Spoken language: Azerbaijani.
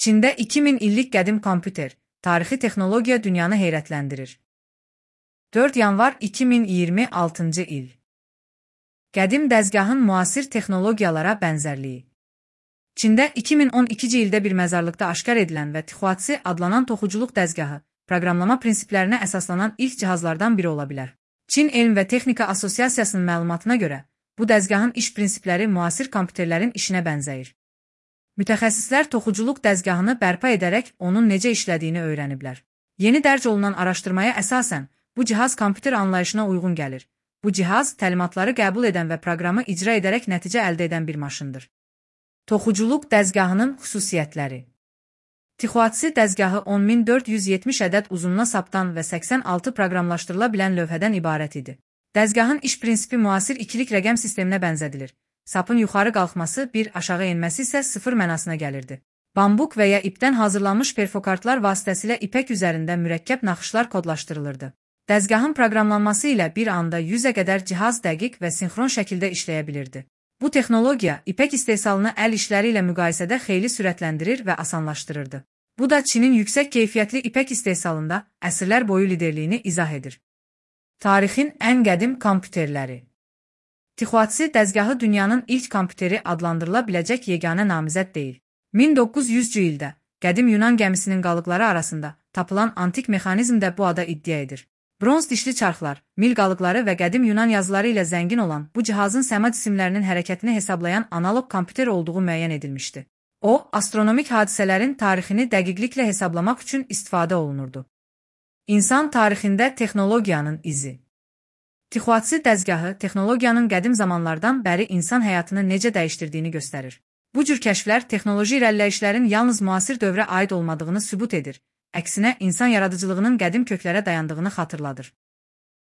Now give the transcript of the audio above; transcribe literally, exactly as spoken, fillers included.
Çində iki min illik qədim kompüter, tarixi texnologiya dünyanı heyrətləndirir. dörd yanvar iki min iyirmi altıncı il. Qədim dəzgahın müasir texnologiyalara bənzərliyi. Çində iki min on ikinci ildə bir məzarlıqda aşkar edilən və Tixuatsi adlanan toxuculuq dəzgahı, proqramlama prinsiplərinə əsaslanan ilk cihazlardan biri ola bilər. Çin Elm və Texnika Assosiasiyasının məlumatına görə, bu dəzgahın iş prinsipləri müasir kompüterlərin işinə bənzəyir. Mütəxəssislər toxuculuq dəzgahını bərpa edərək onun necə işlədiyini öyrəniblər. Yeni dərc olunan araşdırmaya əsasən, bu cihaz kompüter anlayışına uyğun gəlir. Bu cihaz təlimatları qəbul edən və proqramı icra edərək nəticə əldə edən bir maşındır. Toxuculuq dəzgahının xüsusiyyətləri. Tixuatsi dəzgahı on min dörd yüz yetmiş ədəd uzunluğuna saptan və səksən altı proqramlaşdırıla bilən lövhədən ibarət idi. Dəzgahın iş prinsipi müasir ikilik rəqəm sisteminə bənzədilir. Sapın yuxarı qalxması bir, aşağı enməsi isə sıfır mənasına gəlirdi. Bambuk və ya ipdən hazırlanmış perfokartlar vasitəsilə ipək üzərində mürəkkəb naxışlar kodlaşdırılırdı. Dəzgahın proqramlanması ilə bir anda yüzə qədər cihaz dəqiq və sinxron şəkildə işləyə bilirdi. Bu texnologiya ipək istehsalını əl işləri ilə müqayisədə xeyli sürətləndirir və asanlaşdırırdı. Bu da Çinin yüksək keyfiyyətli ipək istehsalında əsrlər boyu liderliyini izah edir. Tarixin ən qədim kompüterləri. Tixuatsi dəzgahı dünyanın ilk kompüteri adlandırıla biləcək yeganə namizəd deyil. min doqquz yüzcü ildə qədim Yunan gəmisinin qalıqları arasında tapılan antik mexanizm də bu ada iddia edir. Bronz dişli çarxlar, mil qalıqları və qədim Yunan yazıları ilə zəngin olan bu cihazın səma cisimlərinin hərəkətini hesablayan analoq kompüter olduğu müəyyən edilmişdi. O, astronomik hadisələrin tarixini dəqiqliklə hesablamaq üçün istifadə olunurdu. İnsan tarixində texnologiyanın izi. Tixuatsi dəzgahı texnologiyanın qədim zamanlardan bəri insan həyatını necə dəyişdirdiyini göstərir. Bu cür kəşflər texnoloji irəliləyişlərin yalnız müasir dövrə aid olmadığını sübut edir, əksinə insan yaradıcılığının qədim köklərə dayandığını xatırladır.